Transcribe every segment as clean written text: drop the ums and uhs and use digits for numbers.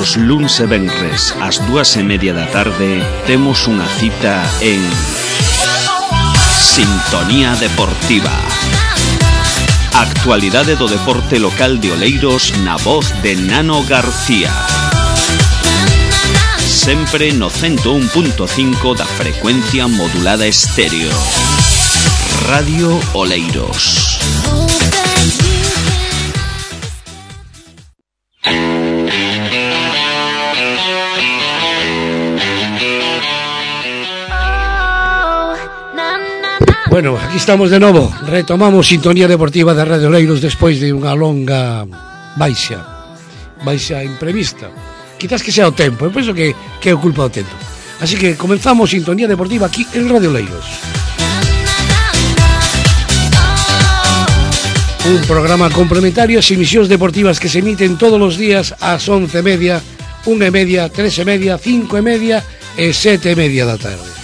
Os luns e venres ás 2:30 da tarde temos unha cita en Sintonía Deportiva. Actualidade do deporte local de Oleiros na voz de Nano García. Sempre no 101.5 da frecuencia modulada estéreo. Radio Oleiros. Bueno, aquí estamos de novo. Retomamos Sintonía Deportiva de Radio Oleiros despois de unha longa baixa imprevista. Quizás que sea o tempo, eu penso que é o culpa do tempo. Así que comenzamos Sintonía Deportiva aquí en Radio Oleiros. Un programa complementario ás emisións deportivas que se emiten todos os días ás 11:30, 1:30, 3:30, 5:30 e 7:30 da tarde.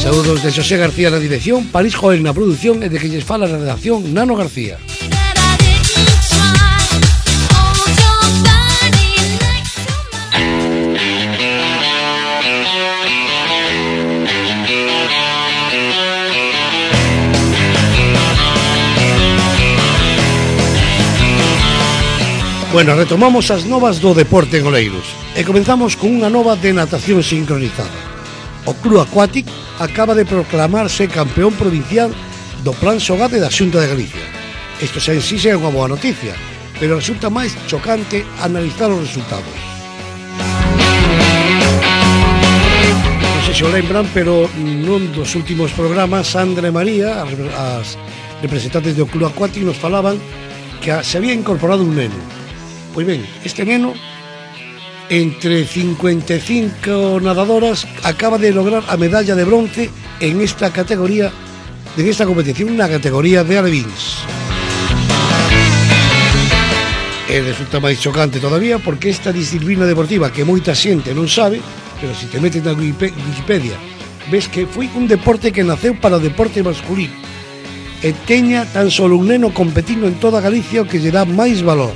Saúdos de Xosé García na dirección, París Joel na produción e de que lles fala na redacción Nano García. Bueno, retomamos as novas do deporte en Oleiros e comenzamos con unha nova de natación sincronizada. O Club Aquatic acaba de proclamarse campeón provincial do Plan Xogade da Xunta de Galicia. Isto xa en sí é unha boa noticia, pero resulta máis chocante analizar os resultados. Non sei se o lembran, pero nun dos últimos programas Sandra e María, as representantes do Club Aquatic, nos falaban que se había incorporado un neno. Pois ben, este neno, entre 55 nadadoras, acaba de lograr a medalla de bronce en esta categoría, en esta competición, na categoría de alevins. E resulta máis chocante todavía porque esta disciplina deportiva que moita xente non sabe, pero se te metes na Wikipedia ves que foi un deporte que naceu para o deporte masculino e teña tan solo un neno competindo en toda Galicia, o que lle dá máis valor.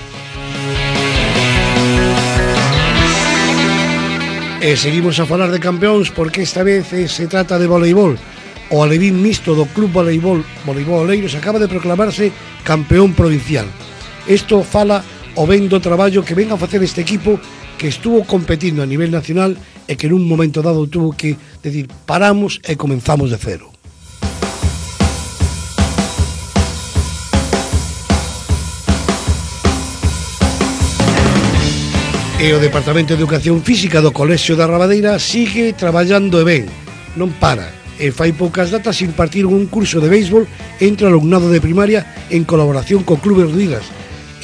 E seguimos a falar de campeóns porque esta vez se trata de voleibol. O alevín mixto do Club Voleibol Oleiros acaba de proclamarse campeón provincial. Isto fala o ben do traballo que ven a facer este equipo, que estuvo competindo a nivel nacional e que nun momento dado tuvo que decir paramos e comenzamos de cero. E o Departamento de Educación Física do Colexio da Rabadeira sigue traballando e ben, non para, e fai poucas datas impartir un curso de béisbol entre o alumnado de primaria en colaboración co Club Ruidas.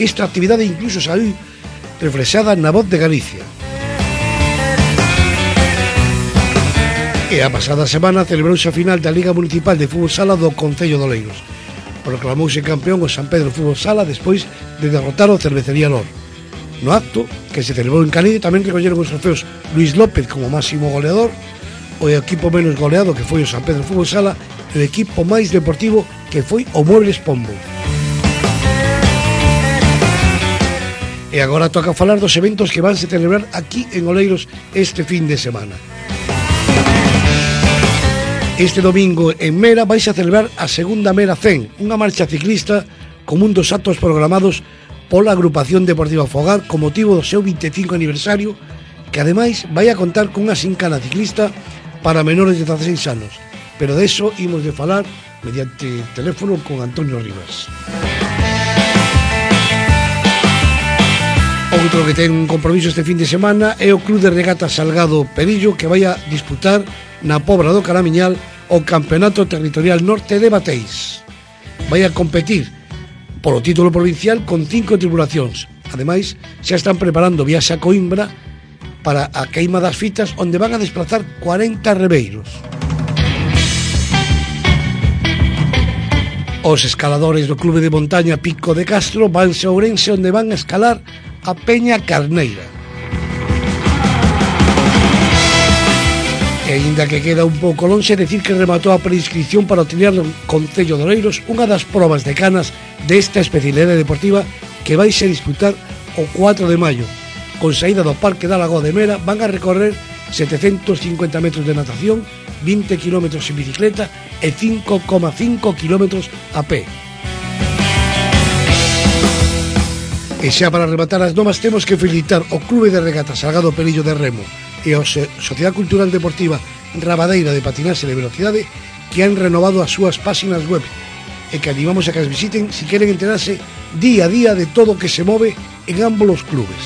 Esta actividade incluso saiu reflexada na Voz de Galicia. E a pasada semana celebrouse a final da Liga Municipal de Fútbol Sala do Concello de Oleiros. Proclamouse campeón o San Pedro Fútbol Sala despois de derrotar o Cervecería Lor. No acto, que se celebrou en Canido, tamén recolleron os trofeos Luis López como máximo goleador, o equipo menos goleado, que foi o San Pedro Fútbol Sala, e o equipo máis deportivo, que foi o Muebles Pombo. E agora toca falar dos eventos que vanse celebrar aquí en Oleiros este fin de semana. Este domingo en Mera vais a celebrar a segunda Mera 100, unha marcha ciclista como un dos actos programados pola Agrupación Deportiva Fogar con motivo do seu 25 aniversario, que ademais vai a contar cunha xincana ciclista para menores de 16 anos. Pero de eso imos de falar mediante teléfono con Antonio Rivas. Outro que ten un compromiso este fin de semana é o Club de Regatas Salgado Perillo, que vai a disputar na Pobra do Caramiñal o Campeonato Territorial Norte de Bateis. Vai a competir polo título provincial con 5 tripulacións. Ademais, xa están preparando viaxe a Coimbra para a queima das fitas, onde van a desplazar 40 rebeiros. Os escaladores do Clube de Montaña Pico de Castro vanse a Ourense, onde van a escalar a Peña Carneira. E aínda que queda un pouco lonxe, decir que rematou a preinscripción para o triatlón Concello de Oleiros, unha das probas de canas desta especialidade deportiva que vais a disputar o 4 de maio. Con saída do Parque da Lagoa de Mera van a recorrer 750 metros de natación, 20 km en bicicleta e 5,5 km a pé. E xa para rematar as nomas temos que felicitar o Clube de Regata Salgado Pelillo de Remo e a Sociedade Cultural Deportiva Rabadeira de Patinaxe de Velocidade que han renovado as súas páxinas web e que animamos a que as visiten si queren enterarse día a día de todo o que se move en ambos os clubes.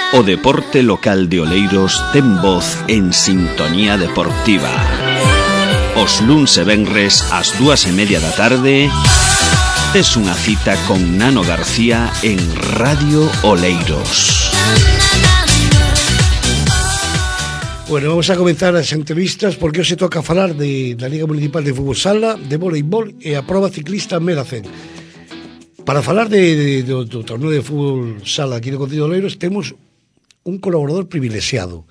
O deporte local de Oleiros ten voz en Sintonía Deportiva. Os luns e venres ás 2:30 da tarde tes unha cita con Nano García en Radio Oleiros. Bueno, vamos a comenzar as entrevistas porque hoxe toca falar da Liga Municipal de Fútbol Sala, de voleibol e a proba ciclista Meracén. Para falar do torneo de fútbol sala aquí no Concello de Oleiros temos un colaborador privilexiado,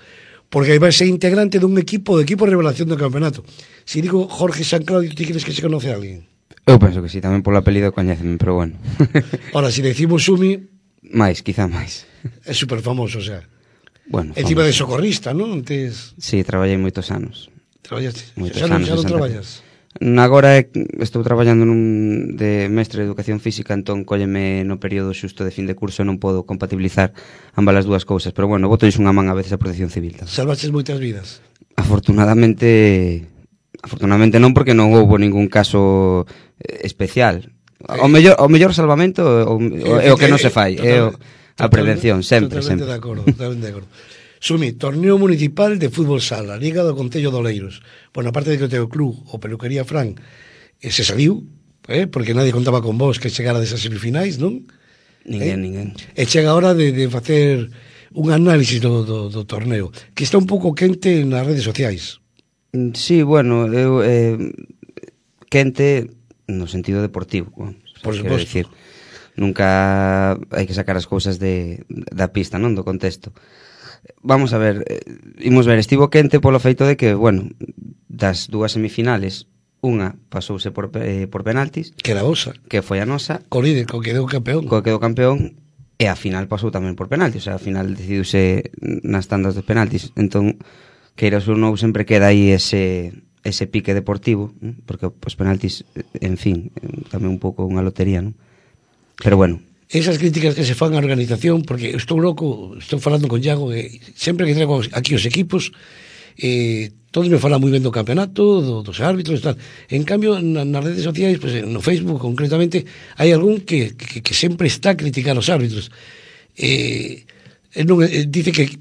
porque vai ser integrante dun equipo revelación do campeonato. Si digo Jorge San Claudio, ti crees que se conoce a alguén? Eu penso que sí, tamén polo apelido coñéceme, pero bueno. Ahora, si decimos Sumi... Quizá máis. É super famoso, o sea. Bueno, encima de socorrista, non? Antes... Sí, traballei moitos anos. Traballaste? Moitos anos. Xa non traballas? Agora estou traballando de mestre de educación física, entón cólleme no período xusto de fin de curso e non podo compatibilizar ambas as dúas cousas, pero bueno, botois unha man a veces a protección civil. Salvaches moitas vidas? Afortunadamente non, porque non houve ningún caso especial. O mellor salvamento é o que non se fai, é a prevención, sempre. Totalmente de acordo. Sumi, torneo municipal de fútbol sala, Liga do Concello de Oleiros. Bueno, aparte de que o teu club, o Peluquería Fran, se saliu, porque nadie contaba con vos que chegara desas semifinais, non? Ninguén. E chega a hora de facer un análisis do torneo, que está un pouco quente nas redes sociais. Sí, bueno, quente no sentido deportivo, por suposto. Decir, nunca hai que sacar as cousas da pista, non, do contexto. Vamos a ver, imos ver, estivo quente polo feito de que, bueno, das dúas semifinales, unha pasouse por penaltis, que era a vosa, que foi a nosa, co líder, co que quedou campeón, e a final pasou tamén por penaltis, o sea, a final decidiuse nas tandas de penaltis. Entón, queiras ou non, sempre queda aí ese pique deportivo, ¿no? Porque os penaltis, en fin, tamén un pouco unha lotería, non? Pero bueno, esas críticas que se fan á organización, porque estou loco, estou falando con Iago, sempre que traigo aquí os equipos, todos me falan moi ben do campeonato, dos árbitros e tal. En cambio, nas redes sociais, pues, no Facebook concretamente, hai algún que sempre está a criticar os árbitros. Dice que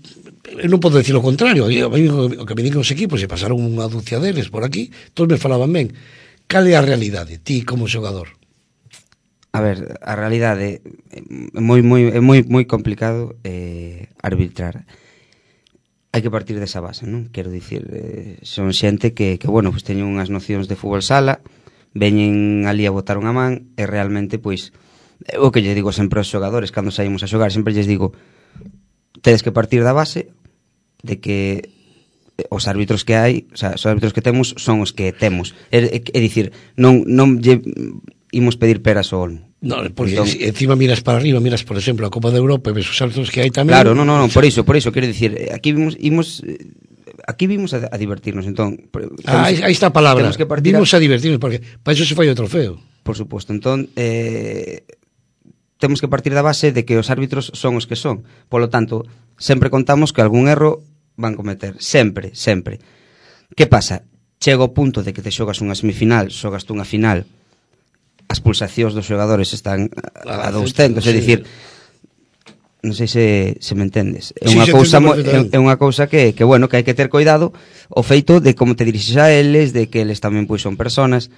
eu non podo decir o contrario. O que me digan os equipos, se pasaron unha dúcia deles por aquí, todos me falaban ben. Cal é a realidade, ti como xogador? A ver, a realidade é moi complicado arbitrar. Hai que partir desa base, non? Quero dicir, son xente que bueno, pues teñen unhas nocións de fútbol sala, veñen ali a botar unha man e realmente, pois, o que lle digo sempre aos xogadores cando saímos a xogar, sempre lles digo, tedes que partir da base de que os árbitros que hai, o sea, os árbitros que temos son os que temos. É dicir, non lle imos pedir peras ao olmo. No, porque entón, encima miras para arriba, miras, por exemplo, a Copa de Europa e ves os árbitros que hai tamén. Claro, non, por iso, quero dicir, aquí vimos a divertirnos, entón. Aí está a palabra, vimos a divertirnos, porque para iso se fai o trofeo. Por suposto, entón, temos que partir da base de que os árbitros son os que son. Polo tanto, sempre contamos que algún erro van cometer, sempre. Que pasa? Chega o punto de que te xogas unha semifinal, xogas unha final, as pulsacións dos xogadores están a 200, é dicir, non sei se me entendes. É unha cousa que bueno, que hai que ter cuidado o feito de como te dirixes a eles, de que eles tamén pois son personas,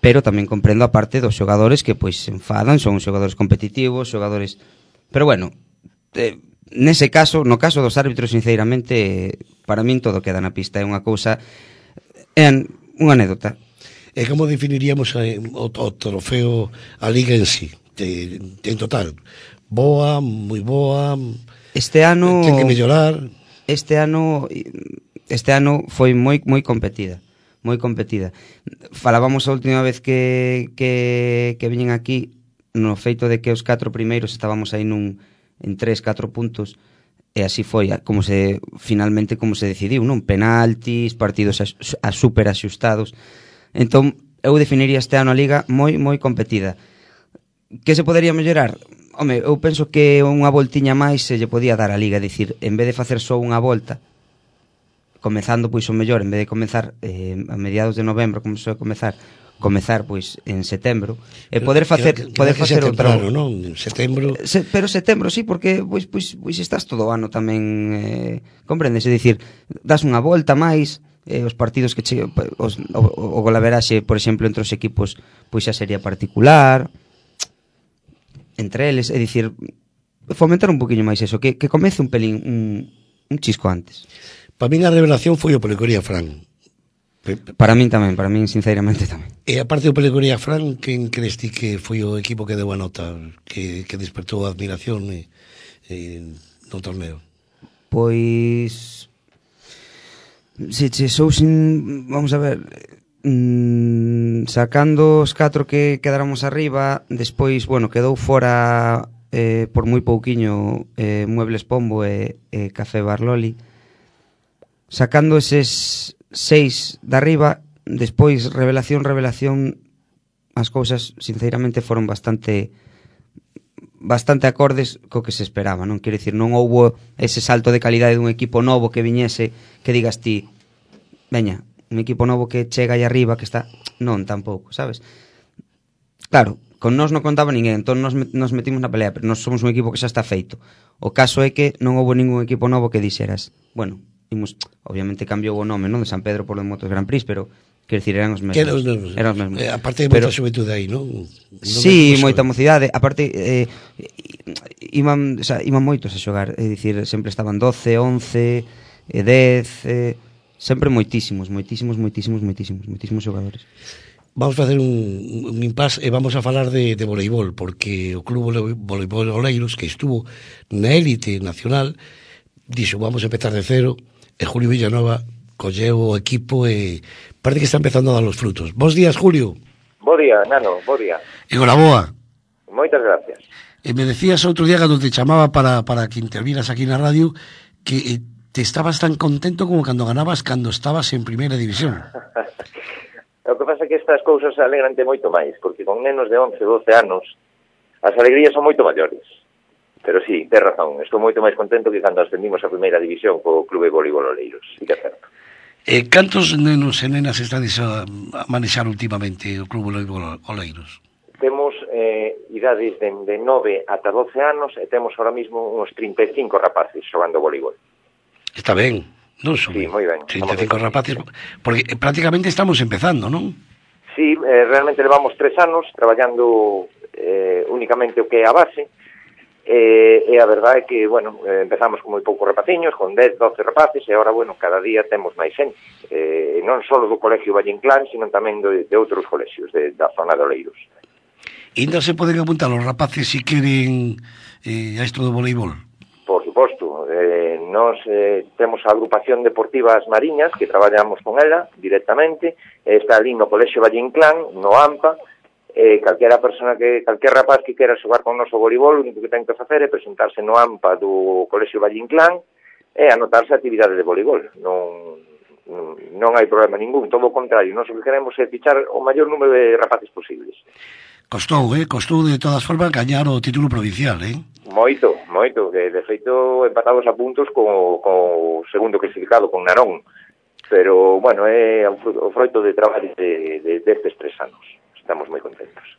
pero tamén comprendo a parte dos xogadores que pois se enfadan, son xogadores competitivos, xogadores, pero bueno, nese caso, no caso dos árbitros, sinceramente, para min todo queda na pista, é unha cousa, é unha anécdota. E como definiríamos o trofeo, a Liga en sí, en total? Boa, moi boa, este ano ten que mellorar? este ano foi moi competida. Falábamos a última vez que viñen aquí no feito de que os 4 primeiros estábamos aí en 3-4 puntos, e así foi finalmente como se decidiu, non? Penaltis, partidos super axustados. Entón, eu definiría este ano a Liga moi competida. Que se podería mellorar? Home, eu penso que unha voltiña máis se lle podía dar a Liga, é dicir, en vez de facer só unha volta, comezando pois o mellor, en vez de comezar a mediados de novembro, como se comezar pois en setembro, e poder facer outra, non? En setembro. Pero setembro sí, porque pois estás todo o ano tamén, comprendes, é dicir, das unha volta máis, os partidos que o golaveraxe, por exemplo, entre os equipos, pois xa sería particular entre eles, é dicir, fomentar un poquinho máis eso, que comece un pelín un chisco antes. Para min a revelación foi o Pelecoría Fran. Para min sinceramente tamén. E aparte do Pelecoría Fran, quen crees ti que foi o equipo que deu a nota, que despertou a admiración no torneo? Pois vamos a ver, sacando os 4 que quedáramos arriba, despois, quedou fora por moi pouquiño Muebles Pombo e Café Barloli. Sacando eses 6 de arriba, despois revelación, as cousas sinceramente foron bastante acordes co que se esperaba, non? Quero dicir, non houbo ese salto de calidade dun equipo novo que viñese, que digas ti, veña, un equipo novo que chega aí arriba, que está... Non, tampouco, sabes? Claro, con nós non contaba ninguén, entón nos metimos na pelea, pero nós somos un equipo que xa está feito. O caso é que non houbo ningún equipo novo que dixeras, obviamente cambiou o nome, non, de San Pedro por o Motos Grand Prix, pero quero dicir, eran os mesmos. Aparte de moita xuventude aí, non? Sí, moita mocidade. Aparte, iban moitos a xogar, é dicir, sempre estaban 12, 11, 10, sempre moitísimos xogadores. Vamos a facer un impasse e vamos a falar de voleibol, porque o Club Voleibol Oleiros, que estuvo na élite nacional, dixo, vamos a empezar de cero, e Julio Villanova colleu o equipo e parece que está empezando a dar os frutos. Bos días, Julio. Bo día, Nano, bo día. E boa. Moitas gracias. E me decías outro día cando te chamaba para que interviras aquí na radio que te estabas tan contento como cando ganabas cando estabas en primeira división. O que pasa é que estas cousas alegrante moito máis, porque con nenos de 11, 12 anos as alegrías son moito maiores. Pero sí, ten razón, estou moito máis contento que cando ascendimos a primeira división co Club de Voleibol Oleiros, sí que é certo. Cantos nenos e nenas estades a manexar últimamente o Club Voleibol Oleiros? Temos idades de 9 ata 12 anos e temos ahora mismo uns 35 rapaces xogando voleibol. Está ben, non son? Sí, moi ben. 35 rapaces, porque prácticamente estamos empezando, non? Sí, realmente levamos 3 anos traballando únicamente o que é a base. E a verdade é que, empezamos con moi poucos rapaciños, con 10, 12 rapaces, e agora, cada día temos máis xente. Non só do Colegio Valle Inclán, sino tamén de outros colexios da zona de Oleiros. Ainda se poden apuntar os rapaces se queren a isto do voleibol? Por suposto. Nós temos a agrupación deportiva As Mariñas, que traballamos con ela directamente, está ali no Colegio Valle Inclán, no AMPA. Calquera rapaz que quera xogar con noso voleibol, o único que ten que facer é presentarse no AMPA do Colexio Valle Inclán e anotarse a actividade de voleibol. Non hai problema ningún, todo o contrario, nós o que queremos é fichar o maior número de rapaces posibles. Costou de todas formas gañar o título provincial, Moito, que de feito empatados a puntos co segundo clasificado, con Narón, pero, é o froito de traballo destes 3 anos. Estamos moi contentos.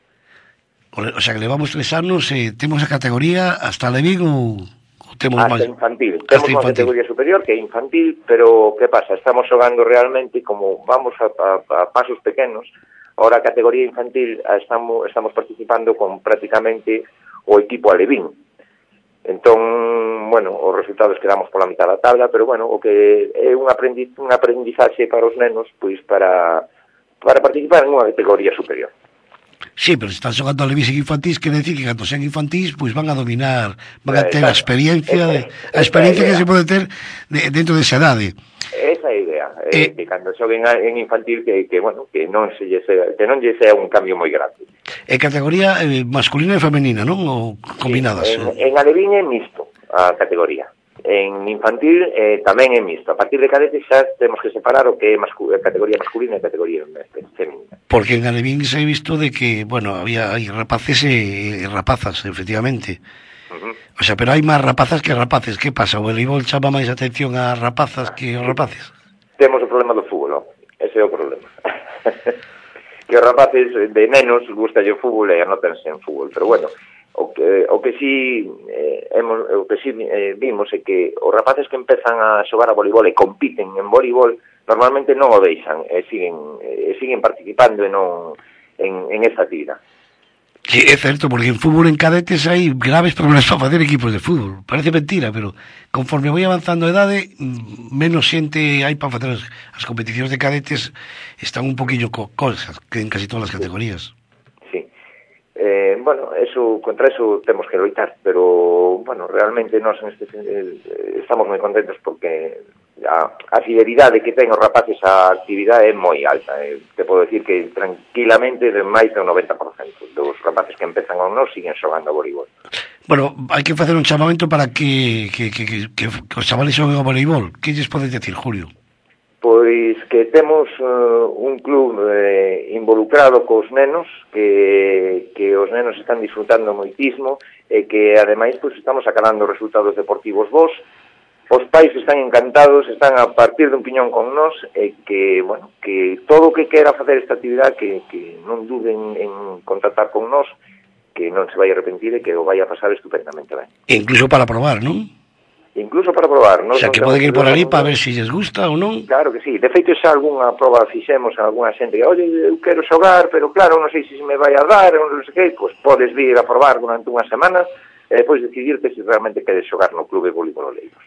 O sea, que levamos 3 anos e temos a categoría hasta Levín ou temos hasta máis? Infantil. Temos unha categoría superior que é infantil, pero que pasa? Estamos xogando realmente como vamos a pasos pequenos. Ahora a categoría infantil estamos participando con prácticamente o equipo alevín. Entón, os resultados quedamos pola mitad da tabla, pero o que é un aprendizaxe para os nenos, pois para participar en unha categoría superior. Sí, pero se están xogando a levis infantís, quere decir que cando sean infantís, pois van a dominar, van a ter a experiencia que se pode ter dentro desa idade. Esa é a idea, que cando xoguen en infantil que non lle sea un cambio moi grande. É categoría masculina e femenina, non? Ou combinadas? Sí, en alevín é mixto a categoría. En infantil tamén é mixto. A partir de cadetes xa temos que separar o que é categoría masculina e categoría femenina. Porque en alevín se ha visto de que, bueno, hai rapaces e rapazas, efectivamente. O sea, pero hai máis rapazas que rapaces. Que pasa? O voleibol chama máis atención a rapazas que os rapaces? Temos o problema do fútbol, non? Ese é o problema. Que os rapaces de nenos gusta o fútbol e anótense en fútbol, pero bueno, o que sí vimos é que os rapaces que empezan a xogar a voleibol e compiten en voleibol normalmente non o deixan e siguen participando en esta actividade. Sí, é certo, porque en fútbol en cadetes hai graves problemas para facer equipos de fútbol. Parece mentira, pero conforme vai avanzando a edade, menos xente hai para facer as competicións de cadetes, están un poquillo colsas que en casi todas as categorías. Sí. Bueno, contra eso temos que loitar, pero bueno, realmente nós estamos moi contentos porque a fidelidade que ten os rapaces á actividade é moi alta. Te podo decir que tranquilamente de máis do 90% dos rapaces que empezan con nós siguen xogando a voleibol. Bueno, hai que facer un chamamento para que os chavales xoguen a voleibol. Que lles podes decir, Julio? Pois que temos un club involucrado cos nenos, que os nenos están disfrutando moitismo e que ademais pois estamos sacando resultados deportivos bons. Os pais están encantados, están a partir dun piñón con nós e que, bueno, que todo o que quera facer esta actividade que non duden en contactar con nós, que non se vai arrepentir e que o vai a pasar estupendamente ben. E incluso para probar, non? Incluso para probar. O sea, que poden ir por ali para ver se lles gusta ou non. Claro que sí. De feito, xa algunha proba fixemos a algunha xente que, oye, eu quero xogar, pero claro, non sei se me vai a dar, non sei que, pois podes vir a probar durante unha semana e depois decidirte se realmente queres xogar no Clube Voleibol Oleiros.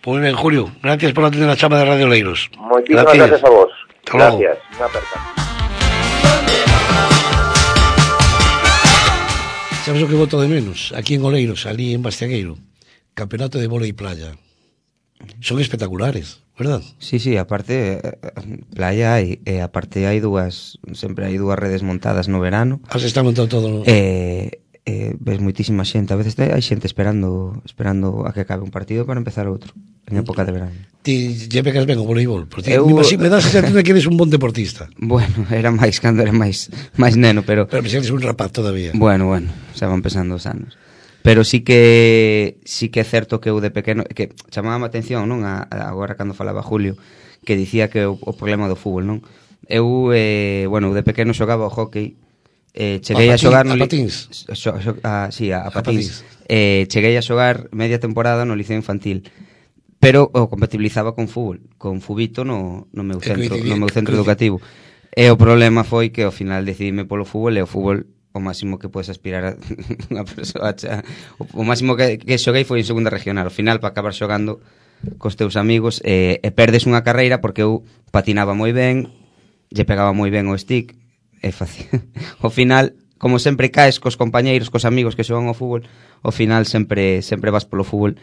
Pois ben, Julio, gracias por atender a chama de Radio Oleiros. Moitísimas gracias a vos. Gracias. Unha aperta. Sabes o que voto de menos? Aquí en Oleiros, ali en Bastiagueiro. Campeonato de vólei playa. Son espectaculares, verdad? Sí, aparte playa hai, aparte hai sempre hai dúas redes montadas no verano. Se está montado todo, non? Ves moitísima xente, a veces hai xente esperando a que acabe un partido para empezar outro en época de verano. Ti lle pegas ben o voleibol, porque me das a sensación de que eres un bon deportista. Bueno, era máis cando era máis neno, pero eres un rapaz todavía. Bueno, xa van pesando os anos. Pero sí que é certo que eu de pequeno, que chamaba a atención, non, agora cando falaba Julio, que dicía que o problema do fútbol, non? Eu de pequeno xogaba o hockey. Cheguei a xogar a patins. A patins. Cheguei a xogar media temporada no liceo infantil, pero o compatibilizaba con fútbol, con fubito no meu centro educativo. E o problema foi que ao final decidime polo fútbol, e o fútbol o máximo que podes aspirar a unha persoa o máximo que xoguei foi en segunda regional. Ao final, para acabar xogando cos teus amigos, e perdes unha carreira porque eu patinaba moi ben, lle pegaba moi ben o stick, é fácil. Ao final, como sempre caes cos compañeiros, cos amigos que xogan ao fútbol, ao final sempre vas polo fútbol,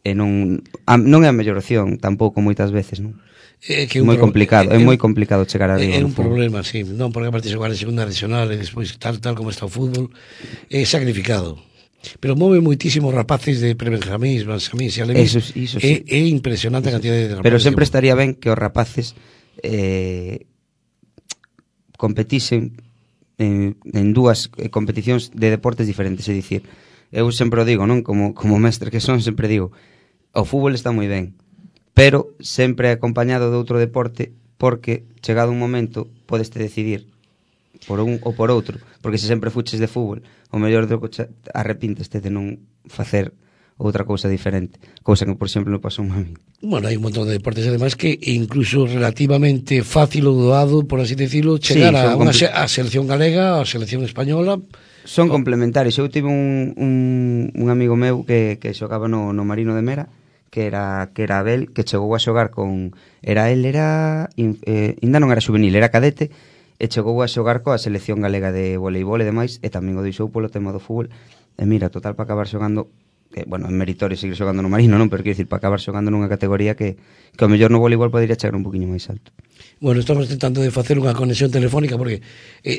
e non é a mellor opción tampouco moitas veces, non? É moi complicado, é moi complicado chegar a Vigo. É un problema, sí, non, porque aparte xogar en segunda regional e despois tal como está o fútbol, é sacrificado. Pero move moitísimos rapaces de prebenjamís, benjamís e alevín. Eso sí. É impresionante a cantidad de rapaces. Pero sempre estaría ben que os rapaces competisen en dúas competicións de deportes diferentes, é dicir, eu sempre o digo, non, como mestre que son, sempre digo, o fútbol está moi ben, pero sempre acompañado de outro deporte, porque chegado un momento podeste decidir por un ou por outro, porque se sempre fuches de fútbol, o mellor do que arrepínteste de non facer outra cousa diferente, cousa que, por exemplo, non pasou a mí. Bueno, hai un montón de deportes, además, que incluso relativamente fácil ou doado, por así decirlo, chegar a selección galega, a selección española. Son complementarios. Eu tive un amigo meu que xogaba no Marino de Mera, que era Abel, que chegou a xogar con... Ainda non era juvenil, era cadete, e chegou a xogar coa selección galega de voleibol e demais, e tamén o deixou polo tema do fútbol. E mira, total, para acabar xogando, bueno, en meritorio seguir xogando no Marino, non? Pero quero dicir, para acabar xogando nunha categoría que ao mellor no voleibol podería chegar un poquinho máis alto. Bueno, estamos tentando de facer unha conexión telefónica porque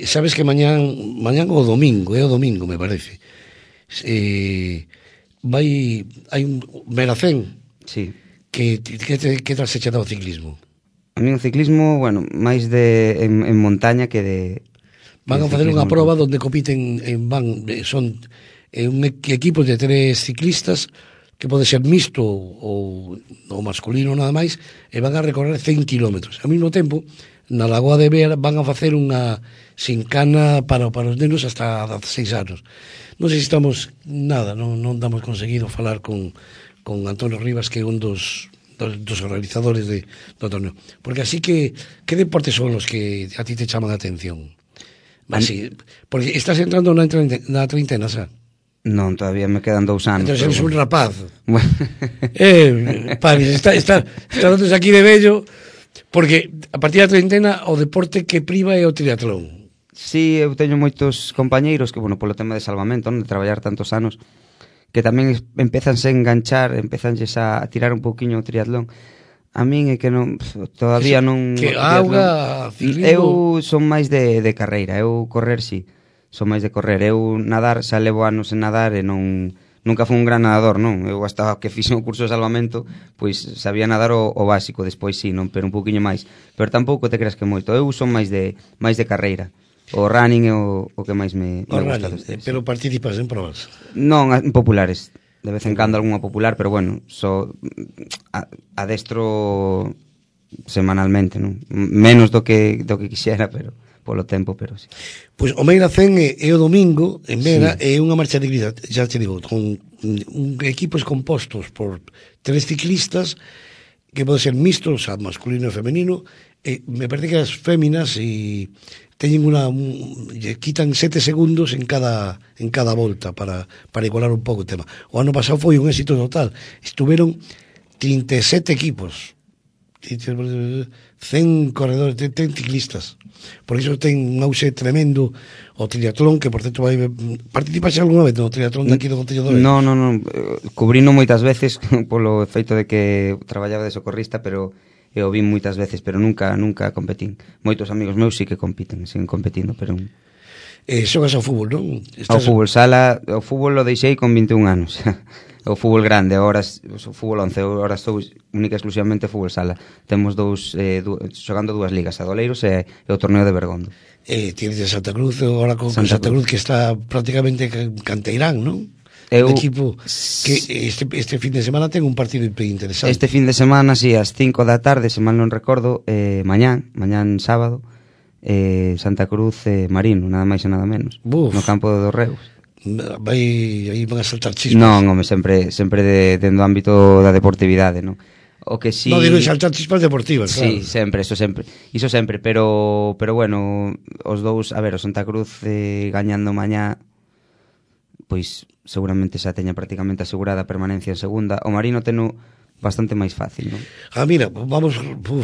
sabes que mañán o domingo, o domingo me parece. Hai un Meracén. Sí. Que tal se che dá o ciclismo? A mí o ciclismo, bueno, máis en montaña que de... Van a facer unha proba onde compiten son equipos de 3 ciclistas que pode ser mixto ou masculino nada máis, e van a recorrer 100 kilómetros. Ao mesmo tempo, na Lagoa de Vera van a facer unha sincana para os nenos hasta 16 anos. Non sei se estamos non damos conseguido falar con Antonio Rivas, que é un dos organizadores do torneo. Porque así que deportes son os que a ti te chaman a atención? Así, porque estás entrando na treintena, xa? Non, todavía me quedan 2 anos. Entón eres un rapaz. Paris, está dándote aquí de vello, porque a partir da treintena o deporte que priva é o triatlón. Sí, eu teño moitos compañeiros que, bueno, polo tema de salvamento, non, de traballar tantos anos, que tamén empezanse a enganchar, empezanses a tirar un pouquiño o triatlón. A min é que non, todavía non... Que auga, Eu ciclismo... son máis de carreira, eu correr, sí. Son máis de correr. Eu nadar, xa levo anos en nadar e nunca fui un gran nadador, non? Eu hasta que fixe o curso de salvamento, pois sabía nadar o básico, despois sí, non, pero un pouquiño máis. Pero tampouco te creas que moito. Eu son máis de carreira. O running é o que máis me gusta destes. Pero participas en probas? Non, en populares. De vez en cando algunha popular, pero bueno, adestro semanalmente, non? Menos do que quixera, pero polo tempo, pero sí. Pois o Meiracén é o domingo en Vera, sí. É unha marcha de grida, xa te digo, con equipos compostos por 3 ciclistas que pode ser mixtos, o sea, masculino e femenino, e me parece que as féminas teñen quitan 7 segundos en cada volta para igualar un pouco o tema. O ano pasado foi un éxito total. Estuveron 37 equipos, 100 corredores, 100 ciclistas. Por iso ten un auxe tremendo o triatlón, que por certo participaxe algunha vez no triatlón daqui do Concello de Oleiros? Non, cubrino moitas veces polo efeito de que traballaba de socorrista, pero eu vi moitas veces, pero nunca competín. Moitos amigos meus sí que compiten, siguen competindo, pero... xogas ao fútbol, non? Ao fútbol sala, o fútbol lo deixei con 21 anos. O fútbol grande, agora o fútbol 11, agora estou única e exclusivamente fútbol sala. Temos xogando 2 ligas, a Doleiros e o torneo de Bergondo. Tienes de Santa Cruz, agora con Santa Cruz, que está prácticamente canteirán, non? Un equipo que este fin de semana ten un partido interesante. Este fin de semana, sí, ás 5 da tarde, se mal non recordo, mañán sábado, Santa Cruz Marino, nada máis e nada menos. Buf. No campo de Dorreus. Aí van a saltar chispas. Non, home, sempre dentro do ámbito da deportividade, non? O que si... Non digo saltar chispas deportivas, claro. Sí, iso sempre, pero bueno, os dous, a ver, o Santa Cruz gañando mañá, pois seguramente xa teña prácticamente asegurada a permanencia en segunda. O Marino teno bastante máis fácil, non? Mira, vamos,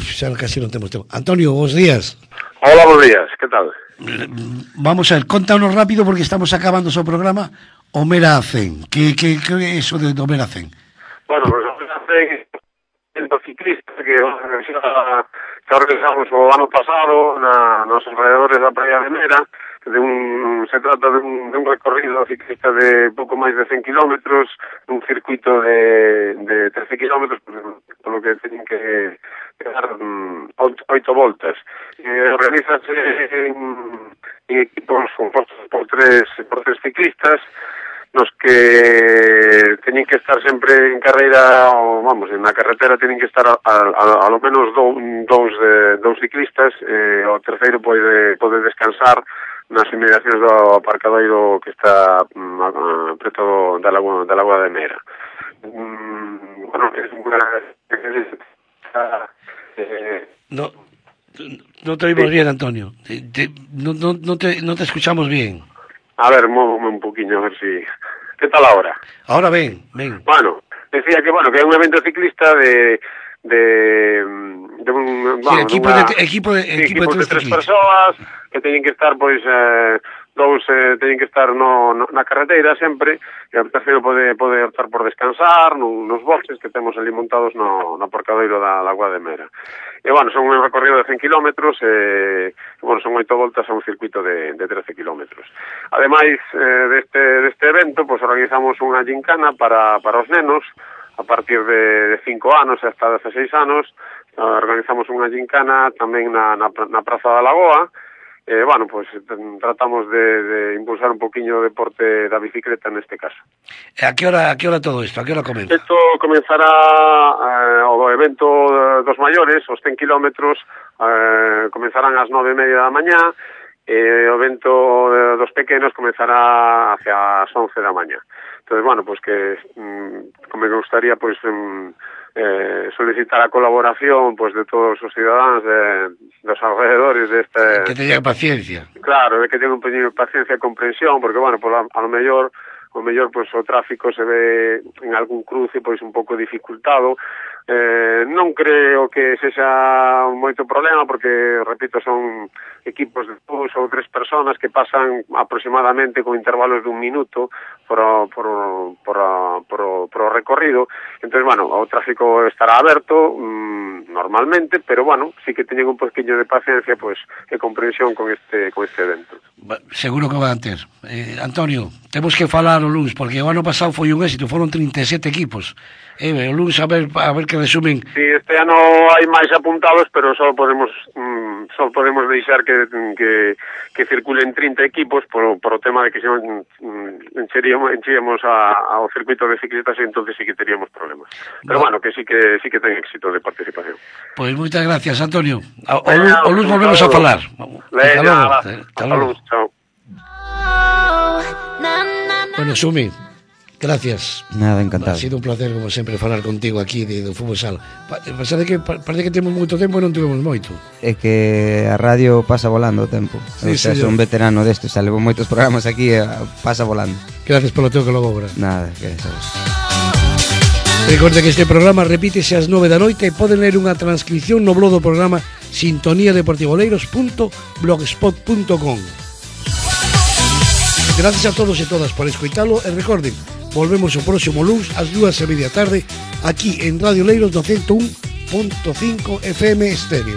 xa casi non temos tempo. Antonio, bons días. Hola, bons días, que tal? Vamos a ver, contanos rápido porque estamos acabando o seu programa. O Meracén, que é iso de o Meracén? Bueno, pues o Meracén é o ciclista que organizamos o ano pasado nos alrededores da praia de Mera. Se trata de un recorrido ciclista de pouco máis de 100 kilómetros, un circuito de 13 kilómetros, polo que teñen que dar 8 voltas. Organízase en equipos compostos por tres ciclistas, nos que teñen que estar sempre en carreira, en la carretera teñen que estar a lo menos dous ciclistas, o terceiro pode descansar nas inmediacións do aparcadoiro que está preto da Lagoa de Mera. Bueno, é unha... No te oímos bien, Antonio. No te escuchamos bien. A ver, móvome un poquinho, a ver si... ¿Qué tal ahora? Ahora ven. Bueno, decía que é un evento ciclista de equipo de tres persoas que teñen que estar, pois, dous teñen que estar na carreteira sempre, e o terceiro pode optar por descansar nos boxes que temos ali montados no aparcadoiro da Lagoa de Mera. E, bueno, son un recorrido de 100 kilómetros e, bueno, son 8 voltas a un circuito de 13 kilómetros. Ademais deste evento, pois organizamos unha gincana para os nenos a partir de 5 anos e hasta 16 anos. Organizamos unha gincana tamén na Praza da Lagoa. Bueno, pues tratamos de impulsar un poquinho o deporte da bicicleta neste caso. A que hora todo isto? A que hora comeza? Isto comenzará o evento dos maiores, os 100 kilómetros, comenzarán ás 9:30 da mañá, e o evento dos pequenos comenzará hacia as 11 da mañá. Entonces, bueno, pues que me gustaría, pues, solicitar a colaboración, pues, de todos os cidadáns dos alrededores deste... Que teñan paciencia. Claro, de que teñan un poquinho de paciencia e comprensión, porque, bueno, pues, a lo mellor pues, o tráfico se ve en algún cruce pois un pouco dificultado. Non creo que sexa moito problema, porque, repito, son equipos de 2 ou 3 personas que pasan aproximadamente con intervalos de 1 minuto por o recorrido. Entón, bueno, o tráfico estará aberto normalmente, pero, bueno, sí que teñen un poquinho de paciencia, pois, e comprensión con este evento. Seguro que van ter. Antonio, temos que falar o luns, porque o ano pasado foi un éxito, foron 37 equipos. O luns a ver que resumen. Sí, este ano hai máis apuntados, pero só podemos deixar que circulen 30 equipos por o tema de que se encheríamos ao circuito de ciclistas, e entonces sí que teríamos problemas. Pero, bueno, que sí que ten éxito de participación. Pois moitas gracias, Antonio. O luns volvemos a falar. Hasta luego. Chao. Bueno, Sumi, gracias. Nada, encantado. Ha sido un placer, como sempre, falar contigo aquí do Fútbol Sala. Parece que temos moito tempo e non tivemos moito. É que a radio pasa volando o tempo. Sí, son veterano desto, xa levo moitos programas aquí e pasa volando. Gracias polo teu colabora. Nada, gracias a vos. Recorde que este programa repítese ás 9 da noite e poden ler unha transcripción no blog do programa sintoniadeportivoleiros.blogspot.com. Gracias a todos e todas por escoitalo e recorden, volvemos o próximo luns ás 2:30 da tarde aquí en Radio Leiros 101.5 FM Estéreo.